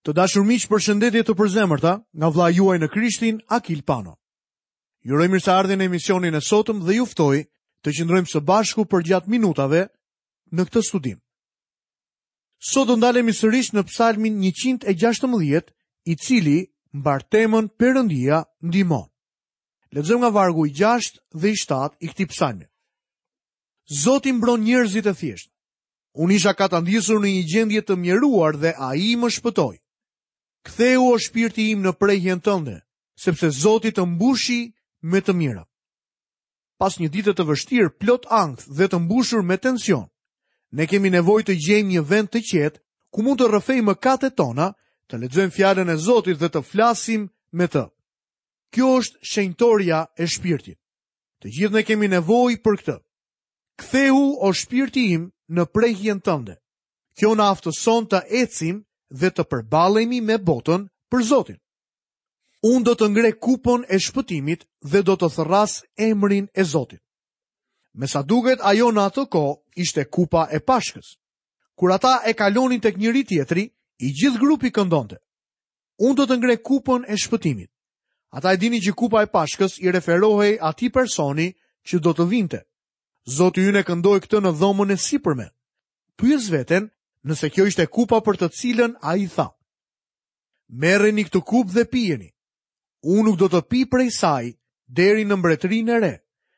Të dashur miq, përshëndetje të përzemërta nga vëllai juaj në Krishtin, Akil Pano. Ju uroj mirëseardhjen në emisionin e sotëm dhe ju ftoj të qëndrojmë së bashku përgjatë minutave në këtë studim. Sot do ndalemi sërish në Psalmin 116, i cili mbart temën Perëndia ndihmon. Lexojmë nga vargu i 6 dhe i 7 i këtij psalmi. Zoti mbron njerëzit e thjeshtë. Unë isha katandisur në një gjendje të mjeruar dhe ai më shpëtoi. Kthehu o shpirti im në prehjen tënde, sepse Zoti të mbushi me të mira. Pas një dite të vështirë, plot ankth dhe të mbushur me tension, ne kemi nevojë të gjejmë një vend të qetë ku mund të rrëfejmë mëkatet tona, të lexojmë fjalën e Zotit dhe të flasim me të. Kjo është shenjtorja e shpirtit. Të gjithë ne kemi nevojë për këtë. Kthehu o shpirti im në prehjen tënde. Kjo na aftëson të ecim dhe të përballemi me botën për Zotin. Unë do të ngre kupën e shpëtimit dhe do të thërras emrin e Zotit. Me sa duket ajo në atë kohë ishte kupa e Pashkës. Kur ata e kalonin tek njëri-tjetri, i gjithë grupi këndonte. Unë do të ngre kupën e shpëtimit. Ata e dinin që kupa e Pashkës i referohej atij personi që do të vinte. Zoti ynë e këndoi këtë në dhomën e sipërme. Pyes veten nëse kjo ishte kupa për të cilën ai tha. Merreni këtë kupë dhe pijeni. Unë nuk do të pi prej saj deri në mbretërinë e re,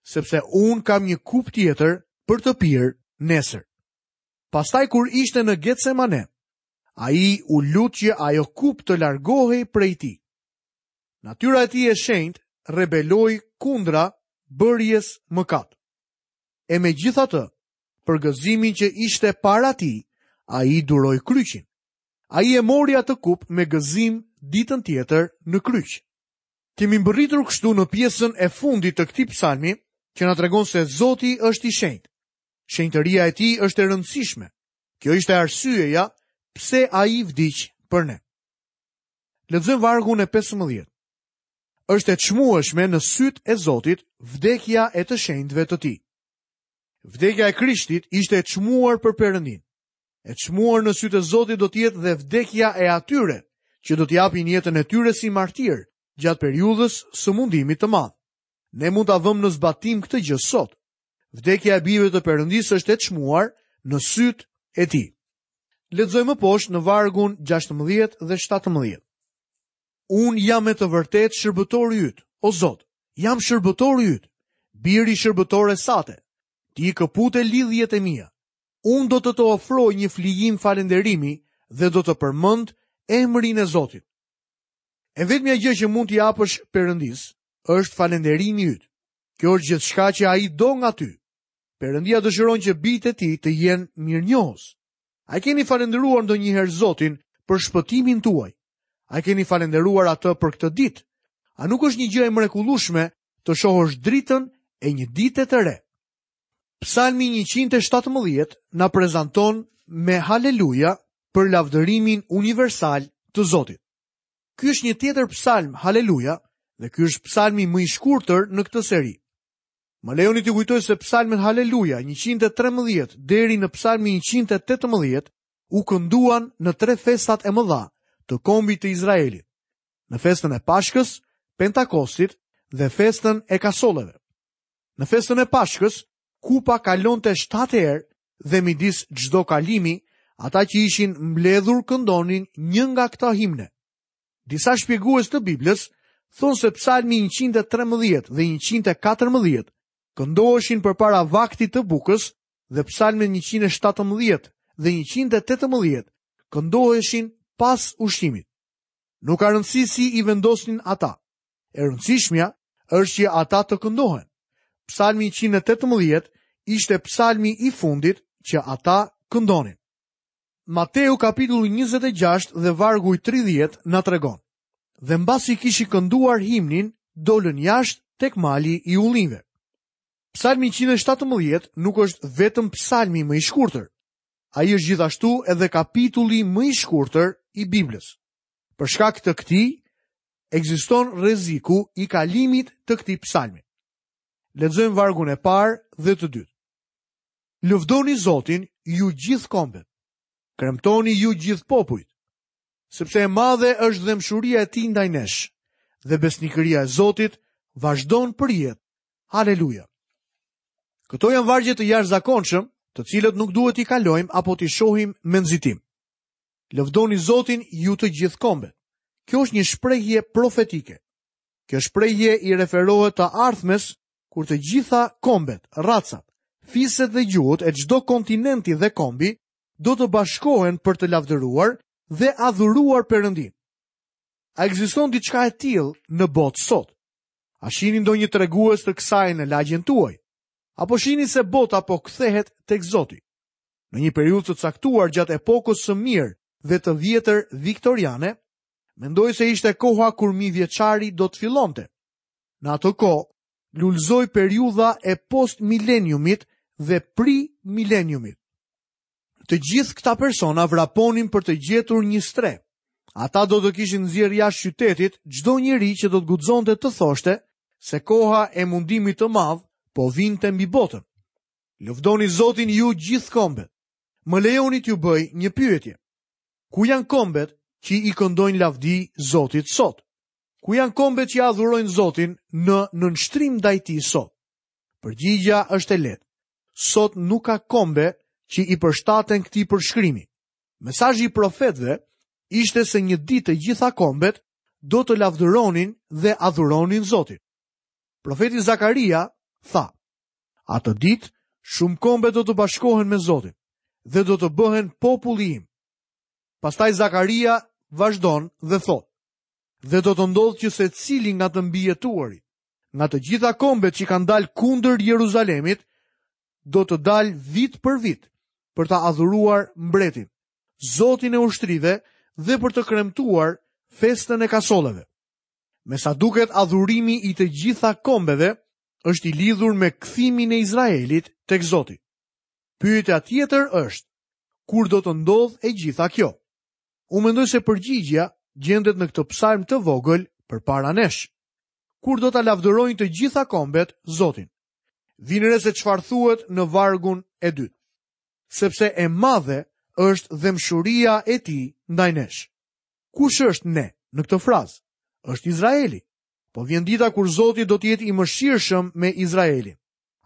sepse unë kam një kupë tjetër për të pirë nesër. Pastaj kur ishte në Getsemane, ai u lut që ajo kupë të largohej prej tij. Natyra e tij e shenjtë rebeloi kundra bërjes mëkat. E megjithatë, për gëzimin që ishte para tij, ai duroi kryqin. Ai e mori atë kupë me gëzim ditën tjetër në kryq. Kemi mbërritur kështu në pjesën e fundit të këtij psalmi, që na tregon se Zoti është i shenjtë. Shenjtëria e tij është e rëndësishme. Kjo ishte arsyeja pse ai vdiq për ne. Lexojmë vargun e 15. Është e çmueshme në sytë e Zotit vdekja e të shenjtëve të tij. Vdekja e Krishtit ishte e çmuar për Perëndinë. E çmuar në sytë e Zotit do të jetë dhe vdekja e atyre që do të japin jetën e tyre si martirë gjatë periudhës së mundimit të madh. Ne mund ta vëmë në zbatim këtë gjë sot. Vdekja e bijve të Perëndisë është e çmuar në sytë e tij. Lexojmë më poshtë në vargun 16 dhe 17. Unë jam me të vërtetë shërbëtori yt, o Zot, jam shërbëtori yt, biri i shërbëtores sate. Ti i këpute lidhjet e mia. Unë do të të ofroj një flijim falënderimi dhe do të përmend emrin e Zotit. E vetmja gjë që mund t'i japësh Perëndisë është falënderimi yt. Kjo është gjithçka që ai do nga ty. Perëndia dëshiron që bijtë e tij të jenë mirënjohës. A e keni falënderuar ndonjëherë Zotin për shpëtimin tuaj? A e keni falënderuar atë për këtë ditë? A nuk është një gjë e mrekullueshme të shohësh dritën e një dite të re? Psalmi 117 na prezanton me haleluja për lavdërimin universal të Zotit. Ky është një tjetër psalm haleluja dhe ky është psalmi më i shkurtër në këtë seri. Më lejoni t'ju kujtoj se psalmet haleluja 113 deri në psalmin 118 u kënduan në tre festat e mëdha të kombit të Izraelit. Në festën e Pashkës, Pentakostit dhe festën e Kasolleve. Në festën e Pashkës, kupa kalonte 7 herë dhe midis çdo kalimi, ata që ishin mbledhur këndonin një nga këta himne. Disa shpjegues të Biblës thonë se psalmi 113 dhe 114 këndoheshin përpara vaktit të bukës dhe psalmet 117 dhe 118 këndoheshin pas ushqimit. Nuk ka rëndësi si i vendosnin ata. E rëndësishmja është që ata të këndohen. Psalmi 118 ishte psalmi i fundit që ata këndonin. Mateu kapitulli 26 dhe vargu i 30 na tregon. Dhe mbasi kishin kënduar himnin, dolën jashtë tek mali i ullinjve. Psalmi 117 nuk është vetëm psalmi më i shkurtër. Ai është gjithashtu edhe kapitulli më i shkurtër i Biblës. Për shkak të këtij, ekziston rreziku i kalimit të këtij psalmi. Lexojmë vargun e parë dhe të dytë. Lëvdoni Zotin ju gjithë kombet. Kremtoni ju gjithë popujt. Sepse e madhe është dhembshuria e tij ndaj nesh dhe besnikëria e Zotit vazhdon përjetë. Haleluja. Këto janë vargje të jashtëzakonshëm, të cilët nuk duhet t'i kalojmë apo t'i shohim me nxitim. Lëvdoni Zotin ju të gjithë kombet. Kjo është një shprehje profetike. Kjo shprehje i referohet të ardhmes kur të gjitha kombet, racat, fiset dhe gjuhët e çdo kontinenti dhe kombi do të bashkohen për të lavdëruar dhe adhuruar Perëndinë. A ekziston diçka e tillë në botë sot? A shihni ndonjë tregues të kësaj në lagjen tuaj? Apo shihni se bota po kthehet tek Zoti? Në një periudhë të caktuar gjatë epokës së mirë dhe të vjetër viktoriane, mendoj se ishte koha kur mijëvjeçari do të fillonte. Në atë kohë, lulëzoi periudha e post-mileniumit dhe pri-mileniumit. Të gjithë këta persona vraponin për të gjetur një strehë. Ata do të kishin nxjerrë jashtë qytetit çdo njeri që do të guxonte të thoshte se koha e mundimit të madh po vinte mbi botën. Lëvdoni Zotin ju gjithë kombet. Më lejoni t'ju bëj një pyetje. Ku janë kombet që i këndojnë lavdi Zotit sot? Ku janë kombet që adhurojnë Zotin në nënshtrim ndaj tij sot? Përgjigja është e lehtë. Sot nuk ka kombe që i përshtaten këtij përshkrimi. Mesazhi i profetëve ishte se një ditë të gjitha kombet do të lavdëronin dhe adhuronin Zotin. Profeti Zakaria tha: Atë ditë shumë kombe do të bashkohen me Zotin dhe do të bëhen populli im. Pastaj Zakaria vazhdon dhe thotë: Dhe do të ndodhë që secili nga të mbijetuarit, nga të gjitha kombet që kanë dalë kundër Jeruzalemit, do të dalë vit për vit për ta adhuruar mbretin, Zotin e ushtrive dhe për të kremtuar festën e kasolleve. Me sa duket adhurimi i të gjitha kombeve është i lidhur me kthimin e Izraelit tek Zoti. Pyetja tjetër është, kur do të ndodhë e gjitha kjo? Unë mendoj se përgjigja gjendet në këtë psalm të vogël përpara nesh. Kur do ta lavdërojnë të gjitha kombet Zotin? Vini re se çfarë thuhet në vargun e dytë. Sepse e madhe është dhembshuria e tij ndaj nesh. Kush është ne në këtë frazë? Është Izraeli. Po vjen dita kur Zoti do të jetë i mëshirshëm me Izraelin.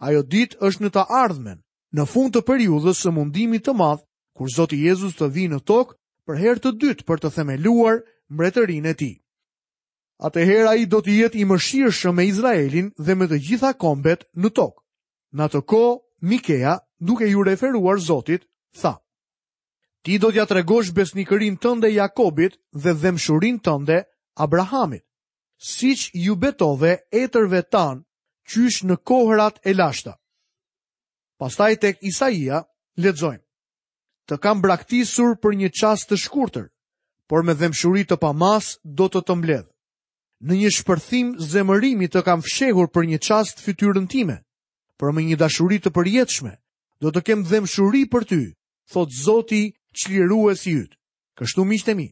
Ajo ditë është në të ardhmen, në fund të periudhës së mundimit të madh kur Zoti Jezus të vijë në tokë për herë të dytë për të themeluar mbretërinë e tij. Atëherë ai do të jetë i mëshirshëm me Izraelin dhe me të gjitha kombet në tokë. Në atë kohë, Mikea, duke iu referuar Zotit, tha: Ti do t'ia tregosh besnikërinë tënde Jakobit dhe dhembshurinë tënde Abrahamit, siç iu betove etërve tanë qysh në kohërat e lashta. Pastaj tek Isaia lexojmë: Të kam braktisur për një çast të shkurtër, por me dhembshuri të pamasë do të të mbledh. Në një shpërthim zemërimi të kam fshehur për një çast fytyrën time, por me një dashuri të përjetshme do të kem dhembshuri për ty, thotë Zoti çliruesi yt. Kështu miqtë e mi,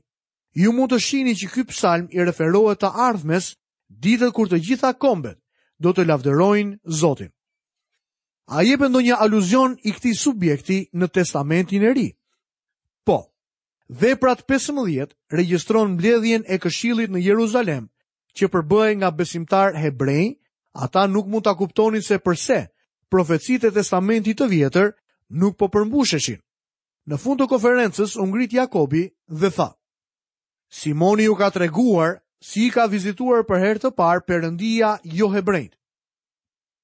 ju mund të shihni që ky psalm i referohet të ardhmes, ditët kur të gjitha kombet do të lavdërojnë Zotin. A jepet ndonjë aluzion i këtij subjekti në Testamentin e Ri? Po. Veprat 15 regjistron mbledhjen e këshillit në Jeruzalem, që përbëhej nga besimtarë hebrenj, ata nuk mund ta kuptonin se përse profecitë e Testamentit të Vjetër nuk po përmbusheshin. Në fund të konferencës u ngrit Jakobi dhe tha: Simoni ju ka treguar si i ka vizituar për herë të parë Perëndia johebrenjtë.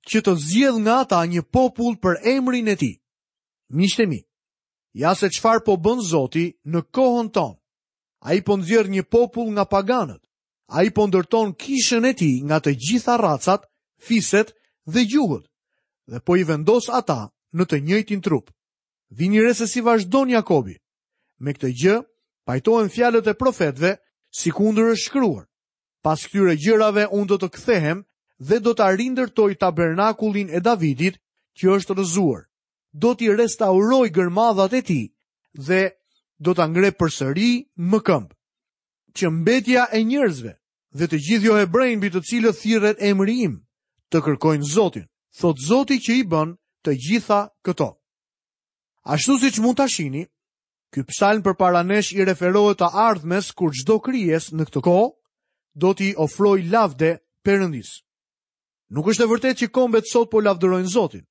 që të zgjedhë nga ata një popull për emrin e tij. Miqtë e mi, ja se çfarë po bën Zoti në kohën tonë. Ai po nxjerr një popull nga paganët. Ai po ndërton kishën e tij nga të gjitha racat, fiset dhe gjuhët dhe po i vendos ata në të njëjtin trup. Vini re se si vazhdon Jakobi. Me këtë gjë pajtohen fjalët e profetëve sikundër është shkruar. Pas këtyre gjërave unë do të kthehem dhe do ta rindërtoj tabernakullin e Davidit që është rrëzuar. Do t'i restauroj gërmadhat e tij dhe do ta ngre përsëri më këmbë. Që mbetja e njerëzve dhe të gjithë johebrenjtë mbi të cilët thirret emri im, të kërkojnë Zotin, thotë Zoti që i bën të gjitha këto. Ashtu siç mund ta shihni, Ky psalm përpara nesh i referohet të ardhmes kur çdo krijesë në këtë kohë do t'i ofrojë lavde Perëndisë. Nuk është e vërtetë që kombet sot po lavdërojnë Zotin.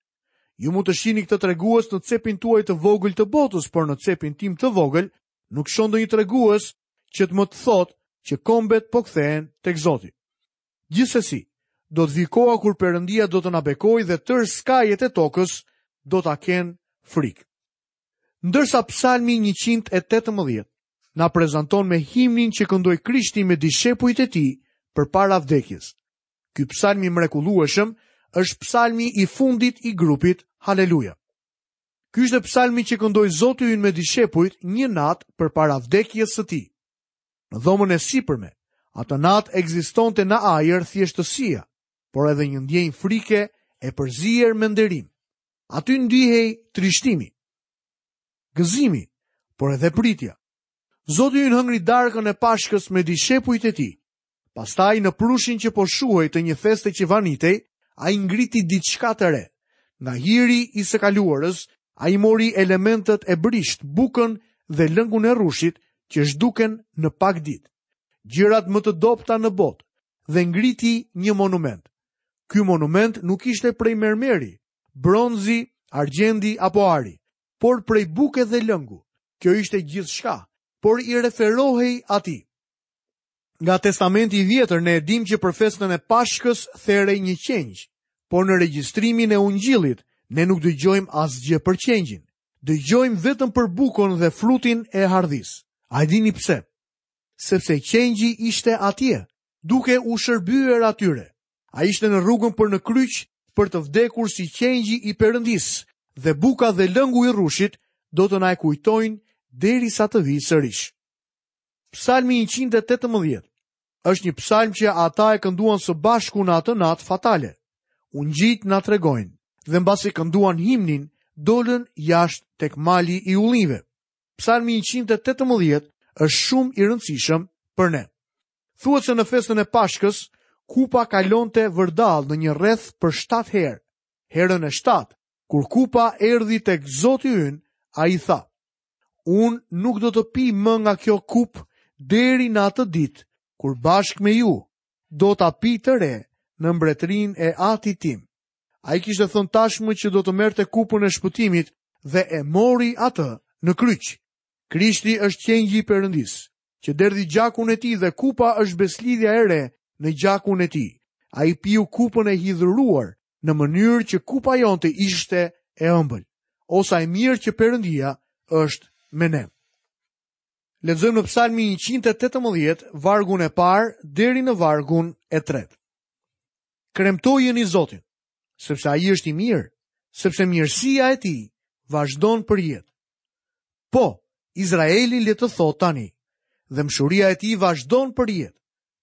Ju mund të shihni këtë tregues në cepin tuaj të vogël të botës, por në cepin tim të vogël nuk shoh ndonjë tregues që të më të thotë që kombet po kthehen tek Zoti. Gjithsesi, do të vijë koha kur Perëndia do të na bekojë dhe tërë skajet e tokës do ta kenë frikë. Ndërsa Psalmi 118 na prezanton me himnin që këndoi Krishti me dishepujt e tij përpara vdekjes. Ky psalm i mrekullueshëm është psalmi i fundit i grupit Haleluja. Ky ishte psalmi që këndoi Zoti ynë me dishepujt një natë përpara vdekjes së tij. Në dhomën e sipërme, atë natë ekzistonte në ajër thjeshtësia, por edhe një ndjenjë frike e përzier me nderim. Aty ndihej trishtimi, gëzimi, por edhe pritja. Zoti ynë hëngri darkën e Pashkës me dishepujt e tij. Pastaj në prushin që po shuhej të një feste që vanitej, ai ngriti diçka të re. Nga hiri i së kaluarës, ai mori elementët e brishtë, bukën dhe lëngun e rrushit që zhduken në pak ditë. Gjërat më të dobëta në botë dhe ngriti një monument. Ky monument nuk ishte prej mermeri, bronzi, argjendi apo ari, por prej buke dhe lëngu. Kjo ishte gjithçka, por i referohej atij. Nga Testamenti i Vjetër ne e dimë që për festën e Pashkës therej një qengj, por në regjistrimin e Ungjillit ne nuk dëgjojmë asgjë për qengjin. Dëgjojmë vetëm për bukën dhe frutin e hardhisë. A e dini pse? Sepse qengji ishte atje, duke u shërbyer atyre. Ai ishte në rrugën për në kryq për të vdekur si qengji i Perëndisë dhe buka dhe lëngu i rrushit do të na e kujtojnë derisa të vijë sërish. Psalmi 118 është një psalm që ata e kënduan së bashku në atë natë fatale. Ungjijtë na tregojnë dhe mbasi kënduan himnin, dolën jashtë tek mali i ullinjve. Psalmi 118 është shumë i rëndësishëm për ne. Thuhet se në festën e Pashkës, kupa kalonte vërdallë në një rreth për 7 herë. Herën e 7, kur kupa erdhi tek Zoti ynë, ai tha: Unë nuk do të pi më nga kjo kupë deri në atë ditë, kur bashkë me ju do ta pi të re në mbretërinë e Atit tim. Ai kishte thënë tashmë që do të merrte kupën e shpëtimit dhe e mori atë në kryq. Krishti është qengji i Perëndisë, që derdhi gjakun e tij dhe kupa është besëlidhja e re në gjakun e tij. Ai piu kupën e hidhëruar në mënyrë që kupa jonë të ishte e ëmbël. O sa e mirë që Perëndia është me ne. Lexojmë në Psalmin 118, vargun e parë deri në vargun e tretë. Kremtojeni Zotin, sepse ai është i mirë, sepse mirësia e tij vazhdon përjetë. Po, Izraeli le të thotë tani, dhembshuria e tij vazhdon përjetë.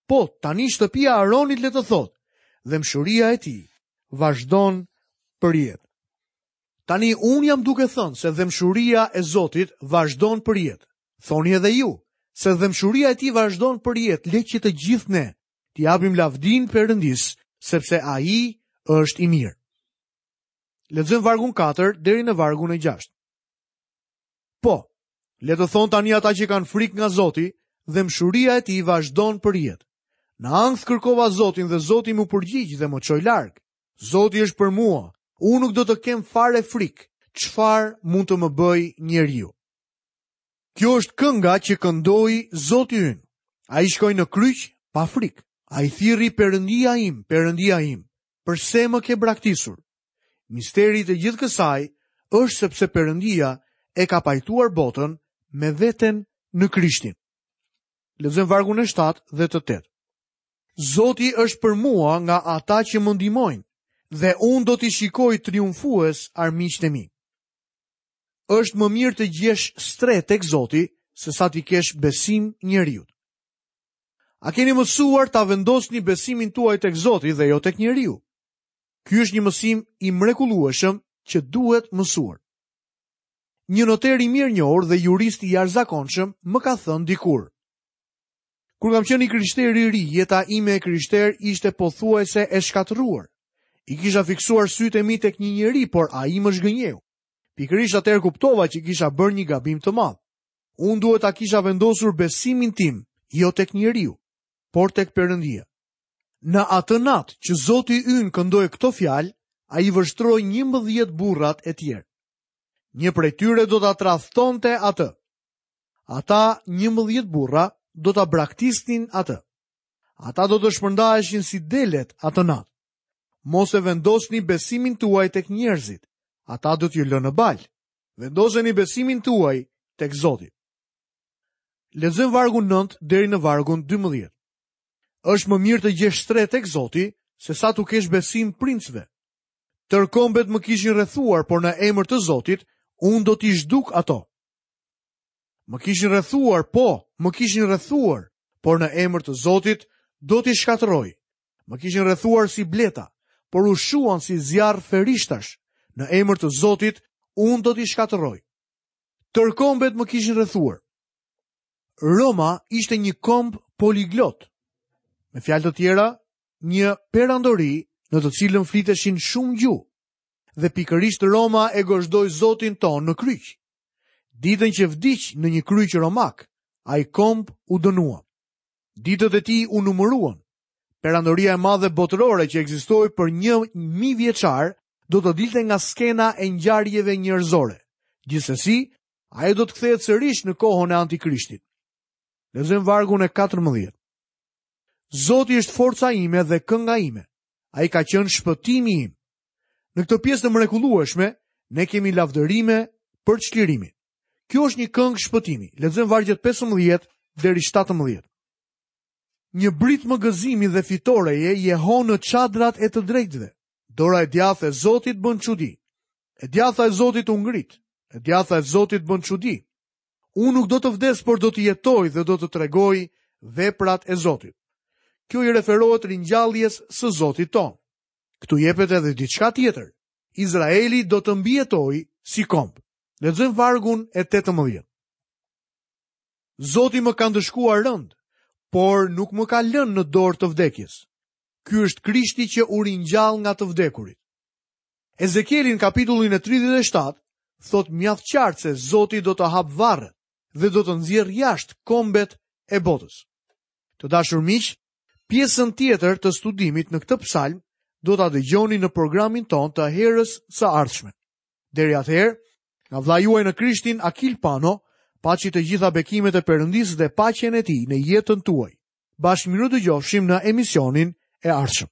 Po, tani shtëpia e Aronit le të thotë, dhembshuria e tij vazhdon përjetë. Tani unë jam duke thënë se dhembshuria e Zotit vazhdon përjetë. Thoni edhe ju, se dhembshuria e tij vazhdon përjetë, le që të gjithë ne t'i japim lavdinë Perëndisë, sepse ai është i mirë. Lexojmë vargun 4 deri në vargun e 6. Po, le të thonë tani ata që kanë frikë nga Zoti, dhembshuria e tij vazhdon përjetë. Në ankth kërkova Zotin dhe Zoti m'u përgjigj dhe më çoi larg. Zoti është për mua, unë nuk do të kem fare frikë, çfarë mund të më bëjë njeriu. Kjo është kënga që këndoi Zoti ynë. Ai shkoi në kryq pa frikë. Ai thirri Perëndia im, Perëndia im, përse më ke braktisur? Misteri i të gjithë kësaj është sepse Perëndia e ka pajtuar botën me veten në Krishtin. Lexojmë vargun e 7 dhe të 8. Zoti është për mua nga ata që më ndihmojnë dhe unë do t'i shikoj triumfues armiqtë e mi. Është më mirë të gjesh strehë tek Zoti sesa t'i kesh besim njeriut. A keni mësuar ta vendosni besimin tuaj tek Zoti dhe jo tek njeriu? Ky është një mësim i mrekullueshëm që duhet mësuar. Një noter i mirënjohur dhe jurist i jashtëzakonshëm më ka thënë dikur. Kur kam qenë i krishterë i ri, jeta ime e krishterë ishte pothuajse e shkatërruar. I kisha fiksuar sytë e mi tek një njeri, por ai më zhgënjeu. Pikërisht atëherë kuptova që kisha bërë një gabim të madh. Unë duhet ta kisha vendosur besimin tim, jo tek njeriu, por tek Perëndia. Në atë natë që Zoti ynë këndoi këto fjalë, ai vështroi 11 burrat e tjerë. Një prej tyre do ta tradhtonte atë. Ata 11 burra do ta braktisnin atë. Ata do të shpërndaheshin si delet atë natë. Mos e vendosni besimin tuaj tek njerëzit. Ata do t'ju lënë në baltë. Vendoseni besimin tuaj tek Zoti. Lexojmë vargun 9 deri në vargun 12. Është më mirë të gjesh strehë tek Zoti sesa t'u kesh besim princëve. Tërë kombet më kishin rrethuar, por në emër të Zotit unë do t'i zhduk ato. Më kishin rrethuar, po, më kishin rrethuar, por në emër të Zotit do t'i shkatërroj. Më kishin rrethuar si bleta, por u shuan si zjarr ferishtash. Në emër të Zotit unë do t'i shkatërroj. Tërë kombet më kishin rrethuar. Roma ishte një komb poliglot. Me fjalë të tjera, një perandori në të cilën fliteshin shumë gjuhë. Dhe pikërisht Roma e gozhdoi Zotin tonë në kryq. Ditën që vdiq në një kryq romak, ai komb u dënua. Ditët e tij u numëruan. Perandoria e madhe botërore që ekzistoi për një mijëvjeçar do të dilte nga skena e ngjarjeve njerëzore. Gjithsesi, ajo do të kthehet sërish në kohën e Antikrishtit. Lexojmë vargun e 14. Zoti është forca ime dhe kënga ime. Ai ka qenë shpëtimi im. Në këtë pjesë të mrekullueshme, ne kemi lavdërime për çlirimin. Kjo është një këngë shpëtimi. Lexojmë vargjet 15 deri 17. Një britmë gëzimi dhe fitoreje jehon në çadrat e të drejtëve. Dora e djathtë e Zotit bën çudi. E djathta e Zotit u ngrit. E djathta e Zotit bën çudi. Unë nuk do të vdes, por do të jetoj dhe do të tregoj veprat e Zotit. Kjo i referohet ringjalljes së Zotit tonë. Këtu jepet edhe diçka tjetër. Izraeli do të mbijetojë si komb. Lexojmë vargun e 18. Zoti më ka ndëshkuar rëndë, por nuk më ka lënë në dorë të vdekjes. Ky është Krishti që u ringjall nga të vdekurit. Ezekieli në kapitullin e 37 thotë mjaft qartë se Zoti do të hapë varret dhe do të nxjerrë jashtë kombet e botës. Të dashur miq, pjesën tjetër të studimit në këtë psalm do ta dëgjoni në programin tonë të herës së ardhshme. Deri atëherë, nga vëllai juaj në Krishtin Akil Pano, paçi të gjitha bekimet e Perëndisë dhe paqen e tij në jetën tuaj. Bashkë mirudëgjofshim në emisionin e ardhshëm.